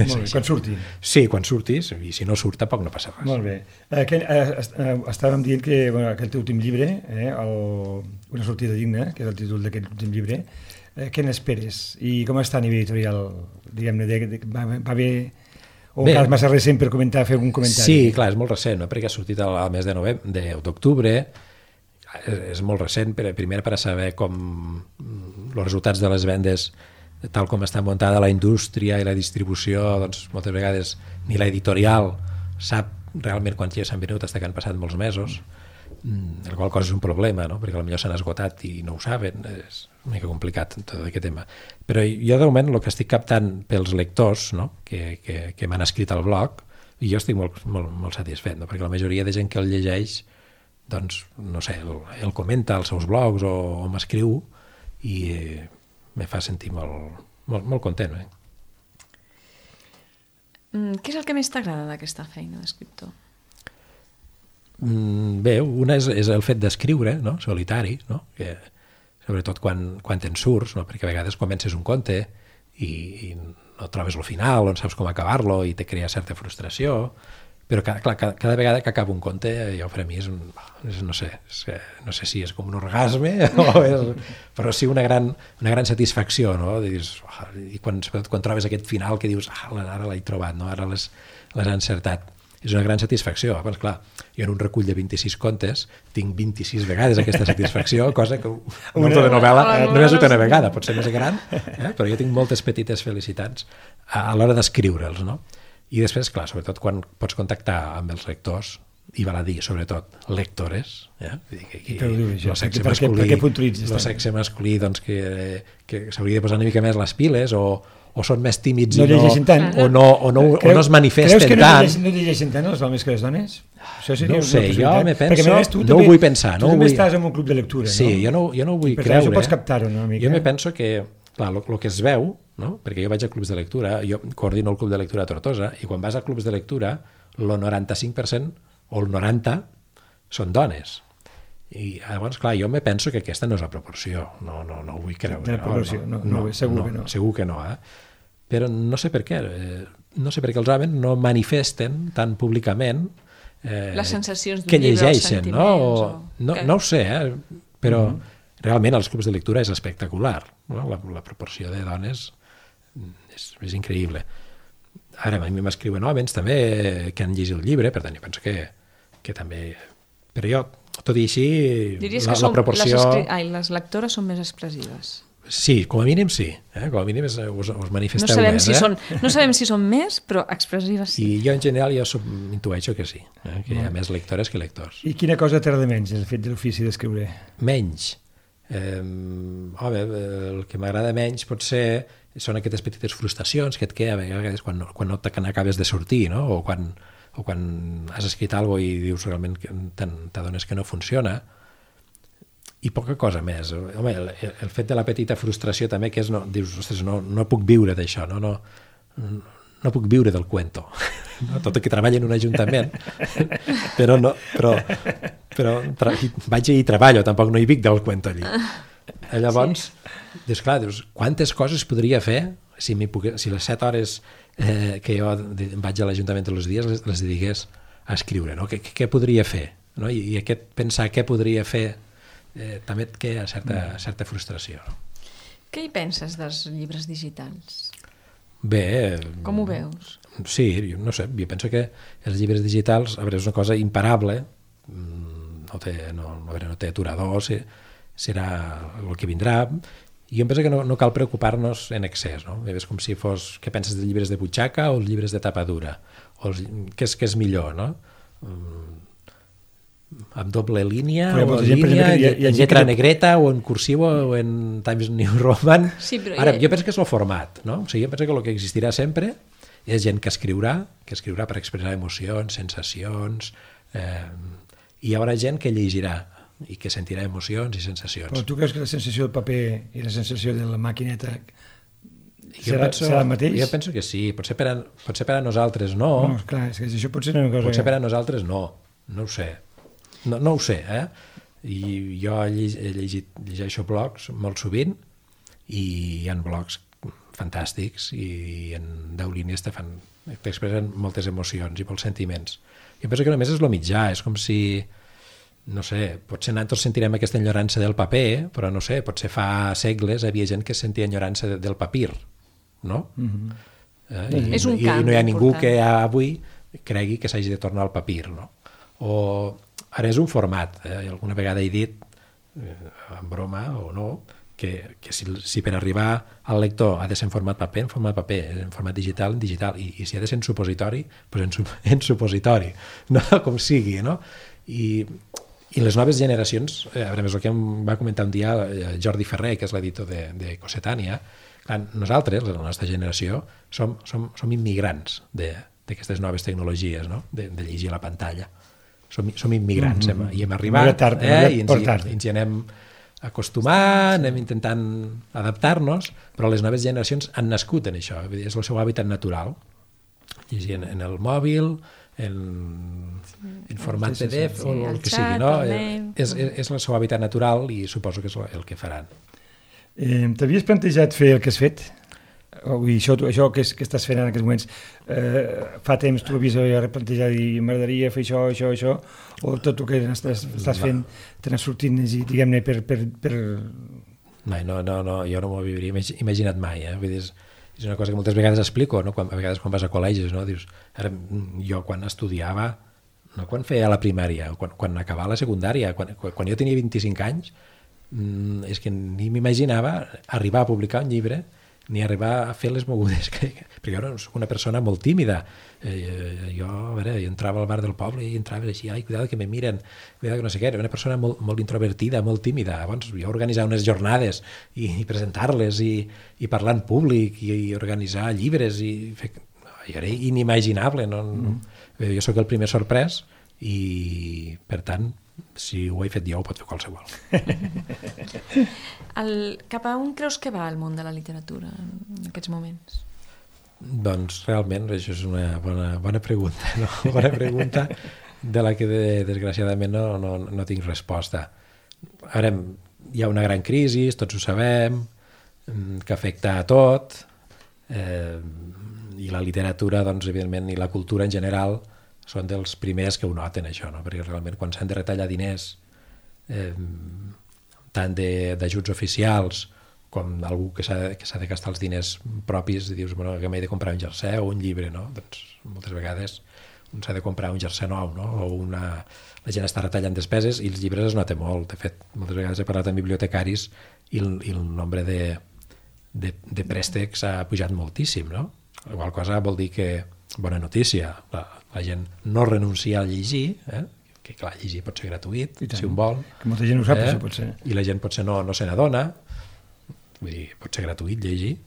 A: Molt bé, quan surti.
C: Sí, quan surtis, i si no surt tampoc no passa res.
A: Molt bé. Eh, que, eh, eh, estàvem dient que bueno, aquest últim llibre, eh, el, Una sortida digna, que és el títol d'aquest últim llibre, eh, què n'esperes? I com està a nivell editorial? Diguem-ne, de, de, va, va bé... O encara és massa recent per comentar, fer algun comentari?
C: Sí, clar, és molt recent, no? Perquè ha sortit al, al mes de novembre, d'octubre, és, és molt recent, per, primer per a saber com els resultats de les vendes, tal com està muntada la indústria i la distribució, doncs moltes vegades ni l'editorial sap realment quants ja s'han venut fins que han passat molts mesos, el qual cosa és un problema, no? Perquè potser s'han esgotat i no ho saben, és una mica complicat tot aquest tema. Però jo de moment el que estic captant pels lectors, no? que, que, que m'han escrit al blog, i jo estic molt, molt, molt satisfet, no? Perquè la majoria de gent que el llegeix, doncs, no sé, el, el comenta als seus blogs o, o m'escriu, i eh, me fa sentir molt, molt, molt content. Eh?
B: Mm, què és el que més t'agrada d'aquesta feina d'escriptor?
C: Mm, bé, una és, és el fet d'escriure, no? Solitari, no? Que, sobretot quan, quan te'n surts, no? Perquè a vegades comences un conte i, i no trobes el final, no saps com acabar-lo i te crea certa frustració, però cada, clar, cada, cada vegada que acabo un conte, jo per a mi és, un, és no sé, és, no sé si és com un orgasme, o és, però sí una gran, una gran satisfacció, no? Dius, oh, i quan, quan trobes aquest final que dius, ah, ara l'he trobat, no? Ara les, les he encertat. És una gran satisfacció. Abans, clar, jo en un recull de vint-i-sis contes tinc vint-i-sis vegades aquesta satisfacció, cosa que un autor de novel·la només ho té una vegada, pot ser més gran, eh? Però jo tinc moltes petites felicitats a, a l'hora d'escriure'ls, no? I després, clar, sobretot quan pots contactar amb els lectors, i val a dir, sobretot, lectores, eh? Vull dir que aquí el sexe masculí, el sexe masculí doncs, que, que s'hauria de posar una mica més les piles, o o són més tímids
A: no
C: i no,
A: tant.
C: o, no, o, no, Creu, o no es manifesten tant.
A: Creus que
C: no
A: llegeixen, no llegeixen tant els homes que les dones? Això seria
C: no ho sé, jo me penso,
A: perquè, més, tu
C: no
A: també,
C: ho vull pensar.
A: Tu
C: no
A: també
C: vull...
A: estàs en un club de lectura,
C: sí,
A: no?
C: jo no, jo no ho vull
A: per
C: creure.
A: Per pots captar-ho una mica.
C: Jo me penso que, clar, el que es veu, no? Perquè jo vaig a clubs de lectura, jo coordino el club de lectura a Tortosa, i quan vas a clubs de lectura, el noranta-cinc per cent o el noranta per cent són dones. I llavors, clar, jo me penso que aquesta no és la proporció, no, no, no ho vull creure.
A: De la proporció, no, no, no, no, segur
C: no,
A: que no.
C: Segur que no, eh? però no sé per què, eh, no sé per què els homes no manifesten tan públicament eh,
B: les sensacions d'un
C: que
B: llibre, els
C: llegeixen, no?
B: sentiments.
C: O,
B: O...
C: no,
B: que...
C: no ho sé, eh? Però mm -hmm. realment als clubs de lectura és espectacular, no? la, la proporció de dones és, és increïble. Ara a mi m'escriuen homes també que han llegit el llibre, per tant jo penso que, que també... Però jo, tot i així,
B: Diries
C: la,
B: que
C: la
B: són,
C: proporció...
B: les, escri... Ai, les lectores són més expressives.
C: Sí, com a mínim sí, eh? Com a mínim us, us manifesteu
B: no sabem
C: més.
B: Si
C: eh?
B: són, no sabem si són més, però expressives sí.
C: I jo en general jo sub, intueixo que sí, eh? Que hi ha més lectores que lectors.
A: I quina cosa t'agrada menys, el fet de l'ofici d'escriure?
C: Menys? Eh, home, el que m'agrada menys potser són aquestes petites frustracions que et queda a vegades quan, quan no t'acabes de sortir, no? O quan, o quan has escrit alguna cosa i dius realment que t'adones que no funciona, i poca cosa més. Home, el, el fet de la petita frustració també, que és, no, dius, ostres, no, no puc viure d'això, no, no, no puc viure del cuento. No? Tot i que treballo en un ajuntament, però, no, però, però tra vaig i treballo, tampoc no hi vic del cuento allí. Llavors, sí. dius, clar, dius, quantes coses podria fer si, pogués, si les set hores eh, que jo vaig a l'Ajuntament tots els dies les, les dediqués a escriure, no? Què, què podria fer? No? I, I aquest pensar què podria fer eh, també et queda certa, certa frustració. No?
B: Què hi penses dels llibres digitals?
C: Bé...
B: Com ho veus?
C: Sí, jo no sé, jo penso que els llibres digitals, a veure, és una cosa imparable, no té, no, a veure, no té aturador, serà el que vindrà, i jo penso que no, no cal preocupar-nos en excés, no? És com si fos, què penses dels llibres de butxaca o els llibres de tapa dura? O els, què, és, què és millor, no? Amb doble línia, o en línia, en lletra negreta, o en cursiu, o en Times New Roman.
B: Sí, però
C: Ara,
B: ja...
C: jo penso que és el format, no? O sigui, jo penso que el que existirà sempre és gent que escriurà, que escriurà per expressar emocions, sensacions, eh, i hi haurà gent que llegirà i que sentirà emocions i sensacions.
A: Però tu creus que la sensació del paper i la sensació de la maquineta
C: jo
A: serà,
C: penso,
A: serà el mateix?
C: Jo penso que sí, potser per a, potser per a nosaltres no.
A: No, clar, és que això potser no és una cosa...
C: Potser per a nosaltres no, no ho sé. No, no ho sé, eh? I jo he llegit, llegeixo blogs molt sovint i hi ha blogs fantàstics i en deu línies te fan, t'expressen moltes emocions i molts sentiments. Jo penso que només és el mitjà, és com si, no sé, potser nosaltres sentirem aquesta enyorança del paper, però no sé, potser fa segles havia gent que sentia enyorança del papir, no? Mm-hmm. eh? I,
B: és un
C: i,
B: canvi
C: i no hi ha ningú
B: important.
C: que avui cregui que s'hagi de tornar al papir, no? O ara és un format, eh? Alguna vegada he dit, eh, en broma o no, que, que si, si per arribar al lector ha de ser en format paper, en format paper, en format digital, en digital, i, i si ha de ser en supositori, doncs en, en supositori, no? Com sigui, no? I, i les noves generacions, eh, a veure, és el que em va comentar un dia Jordi Ferrer, que és l'editor de, de Cossetània, clar, nosaltres, la nostra generació, som, som, som immigrants d'aquestes noves tecnologies, no? de, de llegir a la pantalla. Som, som immigrants, mm -hmm. hem, i hem arribat,
A: tard,
C: eh, i ens hi,
A: tard.
C: ens hi anem acostumant, anem intentant adaptar-nos, però les noves generacions han nascut en això, és el seu hàbitat natural. Llegir en, en el mòbil, en, en format
B: sí, sí,
C: P D F,
B: sí,
C: o
B: sí,
C: el que
B: xat,
C: sigui, no?
B: el
C: És, és, és el seu hàbitat natural i suposo que és el que faran.
A: Eh, T'havies plantejat fer el que has fet? O, i això, això que, és, que estàs fent en aquests moments, eh, fa temps tu havies replantejat i m'agradaria fer això, això, això, o tot el que estàs, estàs fent te n'has sortit, diguem-ne, per... per, per...
C: No, no, no, no, jo no m'ho hauria imaginat mai, eh? Vull dir, és, és una cosa que moltes vegades explico, no? Quan, a vegades quan vas a col·legis, no? Dius, ara, jo quan estudiava, no quan feia la primària, quan, quan acabava la secundària, quan, quan jo tenia vint-i-cinc anys, mmm, és que ni m'imaginava arribar a publicar un llibre ni arribar a fer les mogudes, que, que, perquè jo soc una persona molt tímida. Eh, jo, a veure, jo entrava al bar del poble i entrava així, ai, cuidado que me miren, cuidado que no sé què, era una persona molt, molt introvertida, molt tímida. Llavors jo organitzava unes jornades i, i presentar-les i, i parlar en públic i, i organitzar llibres i fer... Jo era inimaginable, no? Mm. Jo sóc el primer sorprès i, per tant, si ho he fet jo, ho pot fer qualsevol.
B: El, cap a on creus que va el món de la literatura en aquests moments?
C: Doncs realment això és una bona, bona pregunta, no? Bona pregunta de la que de, desgraciadament no, no, no tinc resposta. Ara hi ha una gran crisi, tots ho sabem, que afecta a tot, eh, i la literatura, doncs, evidentment, i la cultura en general són dels primers que ho noten, això, no? Perquè realment quan s'han de retallar diners, eh, tant d'ajuts oficials com algú que s'ha de gastar els diners propis, i dius, bueno, que m'he de comprar un jersei o un llibre, no? Doncs moltes vegades un s'ha de comprar un jersei nou, no? O una... la gent està retallant despeses i els llibres es nota molt. De fet, moltes vegades he parlat amb bibliotecaris i el, i el nombre de, de, de préstecs ha pujat moltíssim, no? La qual cosa vol dir que, bona notícia, la, la gent no renuncia a llegir, eh? Que clar, llegir pot ser gratuït, si un vol.
A: Que molta gent ho sap,
C: eh?
A: això pot ser.
C: I la gent potser no, no se n'adona, vull dir, pot ser gratuït llegir,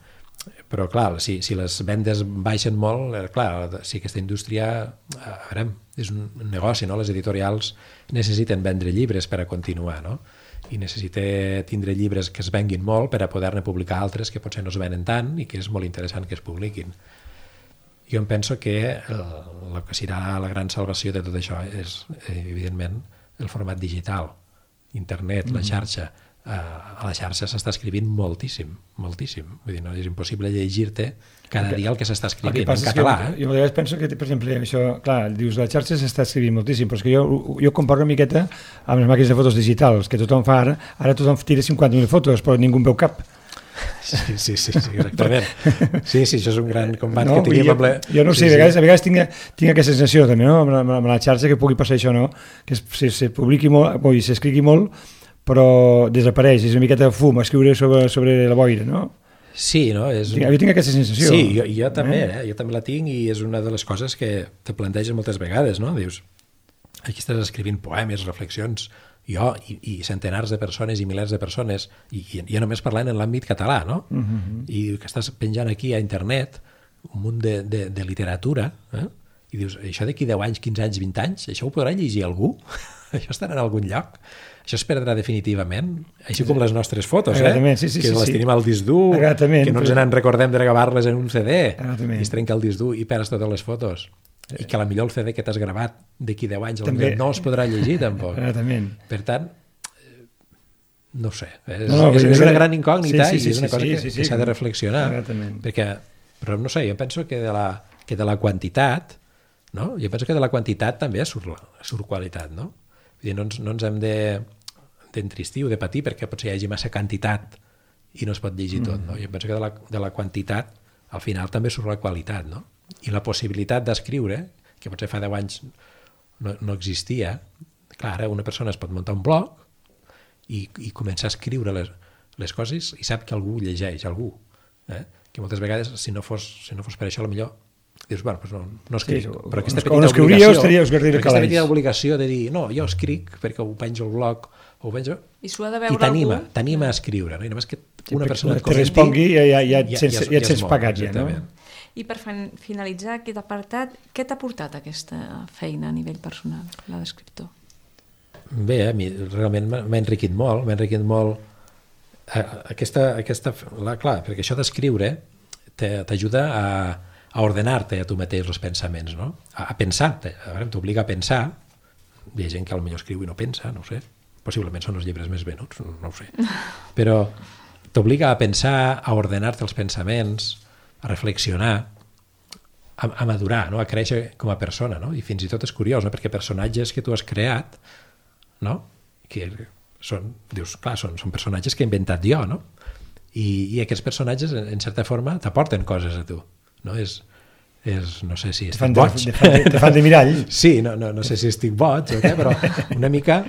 C: però clar, si, si les vendes baixen molt, eh, clar, si aquesta indústria, a veure, és un negoci, no? Les editorials necessiten vendre llibres per a continuar, no? I necessita tindre llibres que es venguin molt per a poder-ne publicar altres que potser no es venen tant i que és molt interessant que es publiquin. Jo em penso que el, el que serà la gran salvació de tot això és, evidentment, el format digital, internet, la xarxa. A la xarxa s'està escrivint moltíssim, moltíssim. Vull dir, no és impossible llegir-te cada dia el que s'està escrivint en català.
A: Eh? Jo a vegades penso que, per exemple, això, clar, dius, la xarxa s'està escrivint moltíssim, però és que jo, jo comparo una miqueta amb les màquines de fotos digitals, que tothom fa ara, ara tothom tira cinquanta mil fotos, però ningú en veu cap.
C: Sí, sí, sí, sí, exactament. Sí, sí, això és un gran combat
A: no,
C: que tenim
A: jo,
C: amb la...
A: Jo no sé, sí, a vegades, a vegades tinc, tinc aquesta sensació també, no? amb, la, amb la xarxa, que pugui passar això, no? Que se, se publiqui molt, o s'escrigui molt, però desapareix, és una miqueta de fum, escriure sobre, sobre la boira, no?
C: Sí, no? És un...
A: Jo tinc aquesta sensació.
C: Sí, jo, jo també, eh? jo també la tinc i és una de les coses que te planteges moltes vegades, no? Dius, aquí estàs escrivint poemes, reflexions, jo i, i centenars de persones i milers de persones, i, i ja només parlant en l'àmbit català, no? Uh-huh. I que estàs penjant aquí a internet un munt de, de, de literatura, eh? I dius, això d'aquí deu anys, quinze anys, vint anys, això ho podrà llegir algú? Això estarà en algun lloc? Això es perdrà definitivament, així com les nostres fotos, eh?
A: Sí, sí,
C: que
A: sí,
C: les
A: sí.
C: tenim al disc dur, que no ens en recordem de gravar-les en un C D, i es trenca el disc dur i perds totes les fotos. I que a la millor el C D que t'has gravat d'aquí deu anys també no es podrà llegir tampoc. Per tant, no sé, és, no, no, és, és una gran incògnita sí, sí, sí, i és una cosa sí, sí, que, sí, que s'ha de reflexionar, perquè, però no sé, jo penso que de la, que de la quantitat, no? Jo penso que de la quantitat també surt, surt qualitat, no? Vull dir, no ens, no ens hem de d'entristir o de patir perquè potser hi hagi massa quantitat i no es pot llegir tot, no? Jo penso que de la, de la quantitat al final també surt la qualitat, no? I la possibilitat d'escriure, que potser fa deu anys no, no existia, clar, una persona es pot muntar un blog i, i començar a escriure les, les coses i sap que algú llegeix, algú, eh? Que moltes vegades, si no fos, si no fos per això, potser dius, bueno, doncs no, no escric, sí, però aquesta petita obligació, aquesta petita obligació de dir, no, jo escric perquè ho penjo al blog, ho penjo,
B: i, i
C: t'anima, t'anima a escriure, no? I només que una
A: sí,
C: persona et
A: comenti, respongui i ja, ja, ja, ja, ja et sents pagat, ja, no?
B: I per finalitzar aquest apartat, què t'ha portat aquesta feina a nivell personal, la d'escriptor?
C: Bé, a mi realment m'ha enriquit molt, m'ha enriquit molt aquesta, aquesta la, clar, perquè això d'escriure t'ajuda a a ordenar-te a tu mateix els pensaments, no? A, a pensar-te, a veure, t'obliga a pensar, hi ha gent que potser escriu i no pensa, no ho sé, possiblement són els llibres més venuts, no ho sé, però t'obliga a pensar, a ordenar-te els pensaments, a reflexionar, a, a madurar, no? A créixer com a persona, no? I fins i tot és curiós, no? Perquè personatges que tu has creat, no? Que són, dius, clar, són, són personatges que he inventat jo, no? I, i aquests personatges, en, en certa forma, t'aporten coses a tu. No, és, és, no sé si estic boig.
A: Te fan de, de, fan de mirall.
C: Sí, no, no, no sé si estic boig o què, però una mica...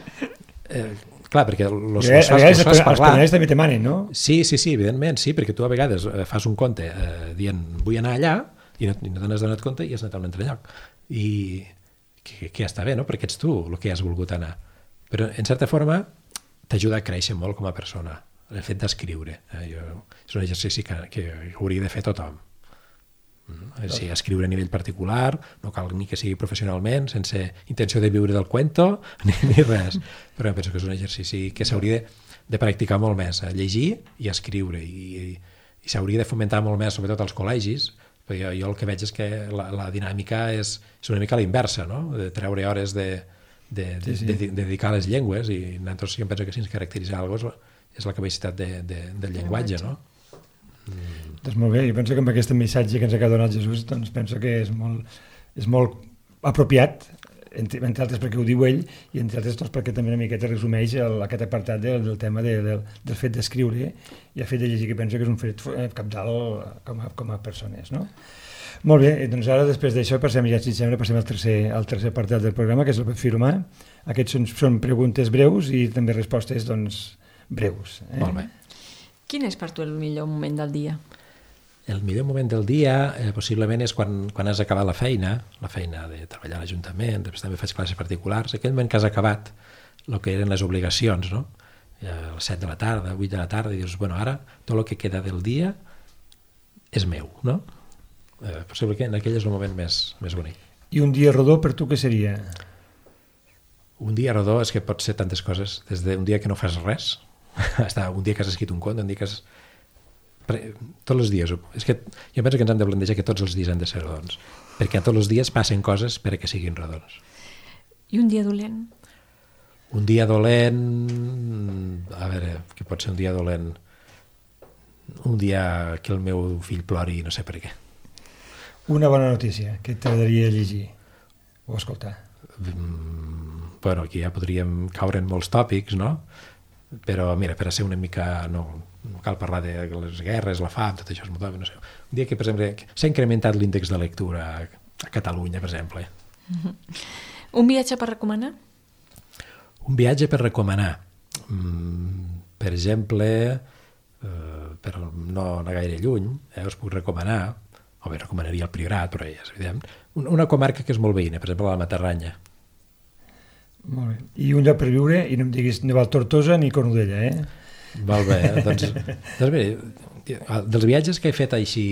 C: Eh, clar, perquè los,
A: a
C: los fas, los fas parlar.
A: Els també te manen, no?
C: Sí, sí, sí, evidentment, sí, perquè tu a vegades fas un conte eh, dient vull anar allà i no, i no te n'has donat compte i has anat a un altre lloc. I que, que ja està bé, no? Perquè ets tu el que has volgut anar. Però, en certa forma, t'ajuda a créixer molt com a persona, el fet d'escriure. Eh? Jo, és un exercici que, que hauria de fer tothom. Sí, escriure a nivell particular, no cal ni que sigui professionalment, sense intenció de viure del cuento, ni, ni res. Però penso que és un exercici que s'hauria de, de practicar molt més, a llegir i a escriure, i, i, i s'hauria de fomentar molt més, sobretot als col·legis, perquè jo, jo el que veig és que la, la dinàmica és, és una mica la inversa, no? De treure hores de, de, de, sí, sí. de, de dedicar a les llengües, i nosaltres jo penso que si ens caracteritza alguna cosa és la capacitat de, de, del llenguatge, no?
B: Mm.
A: Doncs molt bé, jo penso que amb aquest missatge que ens ha donat Jesús, doncs penso que és molt, és molt apropiat, entre, entre altres perquè ho diu ell, i entre altres doncs, perquè també una miqueta resumeix el, aquest apartat del, del tema de, del, del fet d'escriure i el fet de llegir, que penso que és un fet cabdal com a, com a persones, no? Molt bé, doncs ara després d'això passem, ja si sembla, passem al tercer, al tercer apartat del programa, que és el perfil humà. Aquests són, són preguntes breus i també respostes doncs, breus. Eh?
C: Molt bé.
B: Quin és per tu el millor moment del dia?
C: El millor moment del dia eh, possiblement és quan, quan has acabat la feina, la feina de treballar a l'Ajuntament, després també faig classes particulars, aquell moment que has acabat el que eren les obligacions, no? A les set de la tarda, vuit de la tarda, i dius, bueno, ara tot el que queda del dia és meu, no? Eh, possiblement aquell és el moment més, més bonic.
A: I un dia rodó per tu què seria?
C: Un dia rodó és que pot ser tantes coses, des d'un dia que no fas res, hasta un dia que has escrit un conte, un dia que has... Tots els dies, és que jo penso que ens hem de plantejar que tots els dies han de ser rodons, perquè tots els dies passen coses per a que siguin rodons.
B: I un dia dolent?
C: Un dia dolent... A veure, què pot ser un dia dolent? Un dia que el meu fill plori no sé per què.
A: Una bona notícia que t'agradaria llegir o escoltar.
C: Mm, bueno, aquí ja podríem caure en molts tòpics, no? Però mira, per a ser una mica... No, no cal parlar de les guerres, la fam, tot això és molt tòpic, no sé. Un dia que, per exemple, s'ha incrementat l'índex de lectura a Catalunya, per exemple.
B: Mm-hmm. Un viatge per recomanar?
C: Un viatge per recomanar. Mm, per exemple, eh, per no anar gaire lluny, eh, us puc recomanar, o bé recomanaria el Priorat, però ja és evident, una comarca que és molt veïna, per exemple la Matarranya.
A: Molt bé. I un lloc per viure, i no em diguis ni Valtortosa ni Cornudella, eh?
C: Molt bé, doncs, doncs bé, dels viatges que he fet així,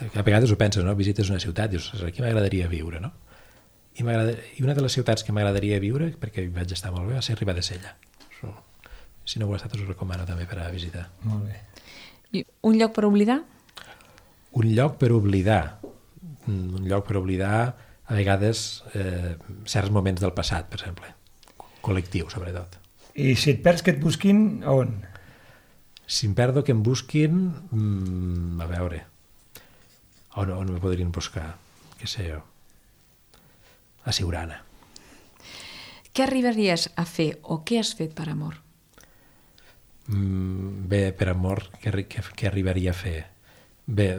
C: a vegades ho penses, no? Visites una ciutat, dius, aquí m'agradaria viure, no? I, I una de les ciutats que m'agradaria viure, perquè hi vaig estar molt bé, va ser Ribadesella. Si no ho ha estat, us ho recomano també per a visitar.
A: Molt bé.
B: I un lloc per oblidar?
C: Un lloc per oblidar. Un lloc per oblidar, a vegades, eh, certs moments del passat, per exemple. Col·lectiu, sobretot.
A: I si et perds que et busquin, a on?
C: Si em perdo que em busquin, mmm, a veure, on, on me podrien buscar? Què sé jo? A Siurana.
B: Què arribaries a fer o què has fet per amor?
C: Mm, bé, per amor, què, què, què arribaria a fer? Bé,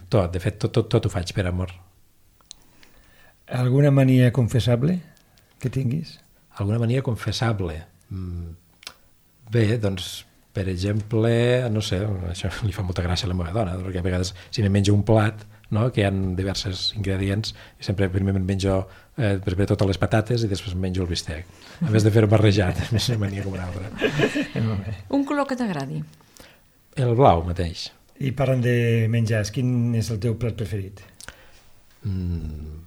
C: tot, de fet, tot, tot, tot ho faig per amor.
A: Alguna mania confessable que tinguis?
C: Alguna mania confessable? Mm, bé, doncs, per exemple, no sé, això li fa molta gràcia a la meva dona, perquè a vegades si me menjo un plat, no?, que hi ha diversos ingredients, i sempre primer me'n menjo eh, primer totes les patates i després em menjo el bistec. A més de fer-ho barrejat, és una mania com una altra.
B: Un color que t'agradi?
C: El blau mateix.
A: I parlant de menjars, quin és el teu plat preferit?
C: Mm,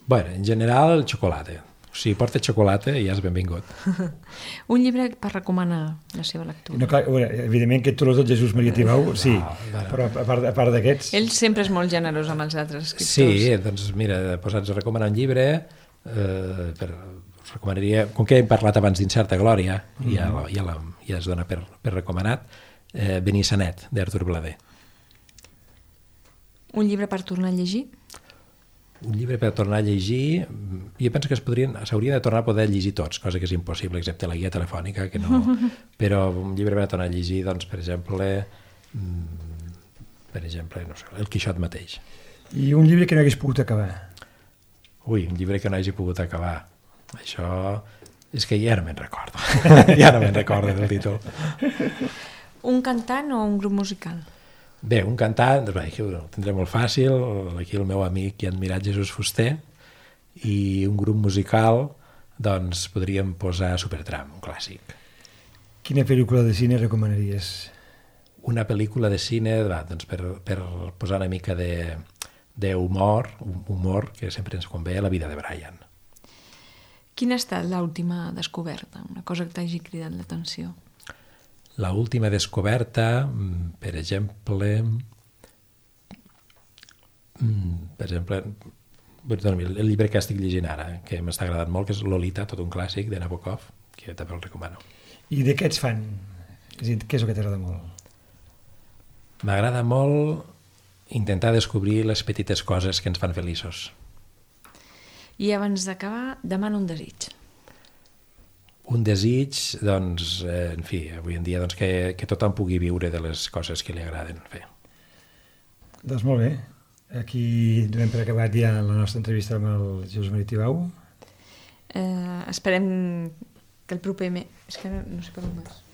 C: bueno, en general el xocolata. Si porta xocolata ja és benvingut.
B: Un llibre per recomanar la seva lectura?
A: No, clar, evidentment que tots els del Jesús Maria Tibau, sí, no, no. Però a part, a part d'aquests...
B: Ell sempre és molt generós amb els altres escriptors.
C: Sí, doncs mira, posats a recomanar un llibre, eh, per, us recomanaria, com que hem parlat abans d'Incerta Glòria, mm-hmm. ja, la, ja, la, ja es dona per, per recomanat, eh, Benissanet, d'Artur Blader.
B: Un llibre per tornar a llegir?
C: Un llibre per tornar a llegir, jo penso que es podrien, s'haurien de tornar a poder llegir tots, cosa que és impossible, excepte la guia telefònica, que no... Però un llibre per tornar a llegir, doncs, per exemple, per exemple, no sé, El Quixot mateix.
A: I un llibre que no hagués pogut acabar?
C: Ui, un llibre que no hagi pogut acabar. Això és que ja no me'n recordo. Ja no me'n recordo del títol.
B: Un cantant o un grup musical?
C: Bé, un cantant, doncs, aquí ho tindré molt fàcil, aquí el meu amic i admirat Jesús Fuster, i un grup musical, doncs podríem posar Supertramp, un clàssic.
A: Quina pel·lícula de cine recomanaries?
C: Una pel·lícula de cine, va, doncs per, per posar una mica de, de humor, humor que sempre ens convé, La vida de Brian.
B: Quina ha estat l'última descoberta? Una cosa que t'hagi cridat l'atenció?
C: La última descoberta, per exemple, per exemple, el llibre que estic llegint ara, que m'està agradant molt, que és Lolita, tot un clàssic de Nabokov, que també el recomano.
A: I de què ets fan? És a dir, què és el que t'agrada molt?
C: M'agrada molt intentar descobrir les petites coses que ens fan feliços.
B: I abans d'acabar, demana un desig.
C: Un desig, doncs, eh, en fi, avui en dia doncs, que, que tothom pugui viure de les coses que li agraden fer.
A: Doncs molt bé. Aquí donem per acabat ja la nostra entrevista amb el Jesús Maria Tibau.
B: Eh, esperem que el proper mes... És que no sé per on més.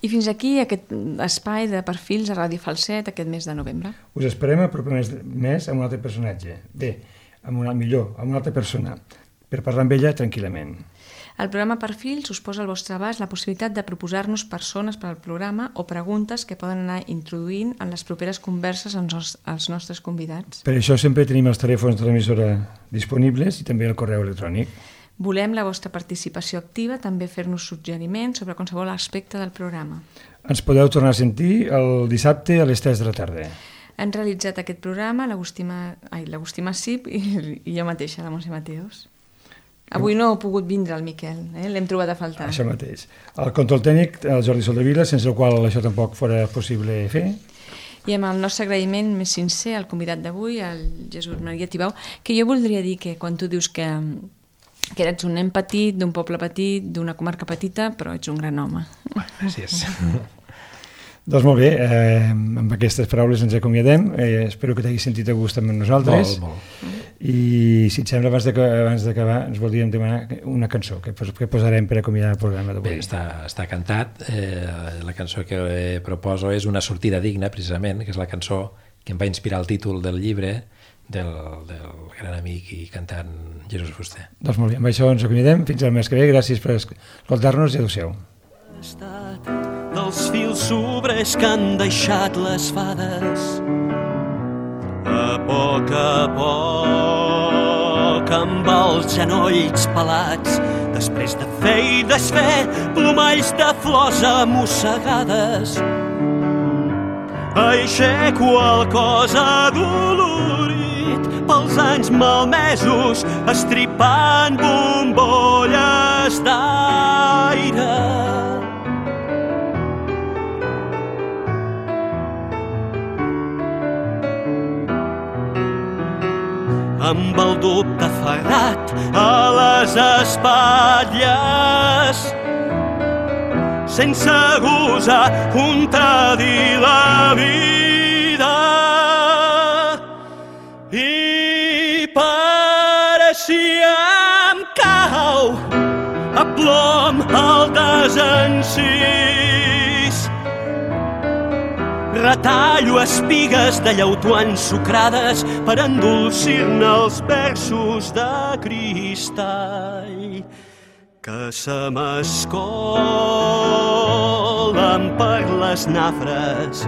B: I fins aquí aquest espai de perfils a Ràdio Falset aquest mes de novembre.
A: Us esperem el proper mes, mes amb un altre personatge. Bé, amb una, millor, amb una altra persona, per parlar amb ella tranquil·lament.
B: El programa Perfils us posa al vostre abast la possibilitat de proposar-nos persones per al programa o preguntes que poden anar introduint en les properes converses amb els nostres convidats.
A: Per això sempre tenim els telèfons de l'emissora disponibles i també el correu electrònic.
B: Volem la vostra participació activa, també fer-nos suggeriments sobre qualsevol aspecte del programa.
A: Ens podeu tornar a sentir el dissabte a les tres de la tarda.
B: Han realitzat aquest programa l'Agustí Massip i, i jo mateixa, la Montse Mateos. Avui no ha pogut vindre el Miquel, eh? L'hem trobat a faltar.
A: Això mateix. El control tècnic, el Jordi Soldevila, sense el qual això tampoc fora possible fer.
B: I amb el nostre agraïment més sincer al convidat d'avui, el Jesús Maria Tibau, que jo voldria dir que quan tu dius que, que eres un nen petit, d'un poble petit, d'una comarca petita, però ets un gran home.
C: Gràcies.
A: Doncs molt bé, eh, amb aquestes paraules ens acomiadem. Eh, espero que t'hagis sentit a gust amb nosaltres.
C: Molt, molt.
B: Mm.
A: I si et sembla, abans d'acabar, ens voldríem demanar una cançó que, que posarem per acomiadar el programa d'avui.
C: Bé, està, està cantat. Eh, la cançó que proposo és Una sortida digna, precisament, que és la cançó que em va inspirar el títol del llibre del, del gran amic i cantant Jesús Fuster.
A: Doncs molt bé, amb això ens acomiadem. Fins al mes que ve. Gràcies per escoltar-nos i adéu-siau.
D: Dels fils sobres que han deixat les fades, a poc a poc amb els genolls pelats, després de fer i desfer plomalls de flors amossegades, aixeco el cos adolorit pels anys malmesos, estripant bombolles d'aire. Amb el dubte ferrat a les espatlles, sense gosar contradir la vida. I pareixia em cau a plom el desencís. Retallo espigues de llautó ensucrades per endolcir-ne els versos de cristall que se m'escolen per les nafres.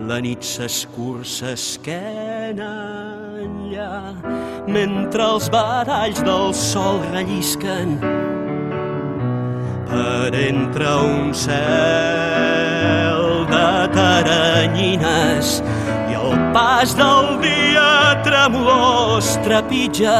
D: La nit s'escurça esquena enllà, mentre els badalls del sol rellisquen per entre un cel de teranyines i el pas del dia tremolós trepitja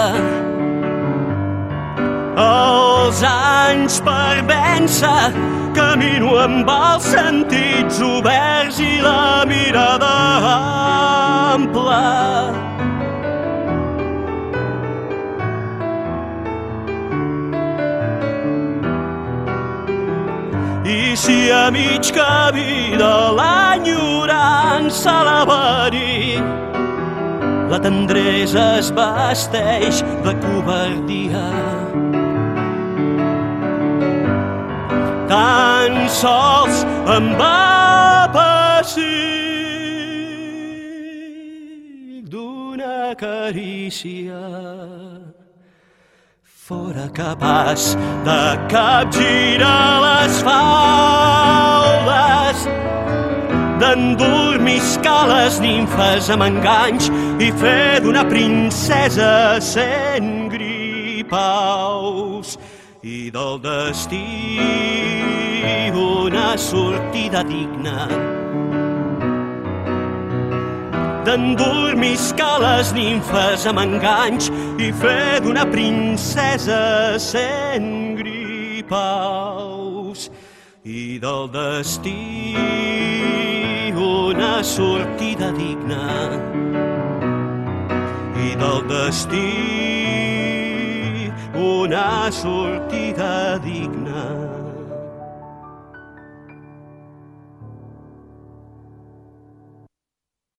D: els anys per vèncer. Camino amb els sentits oberts i la mirada ampla. I si a mig camí de l'enyorança la verí, la tendresa es vesteix de covardia. Tan sols em va pessic d'una carícia fora capaç de capgirar les faldes, d'endormiscar les nimfes amb enganys i fer d'una princesa cent gripaus i del destí una sortida digna. d'endormiscar les nimfes amb enganys i fer d'una princesa cent gripaus. I del destí una sortida digna, i del destí una sortida digna.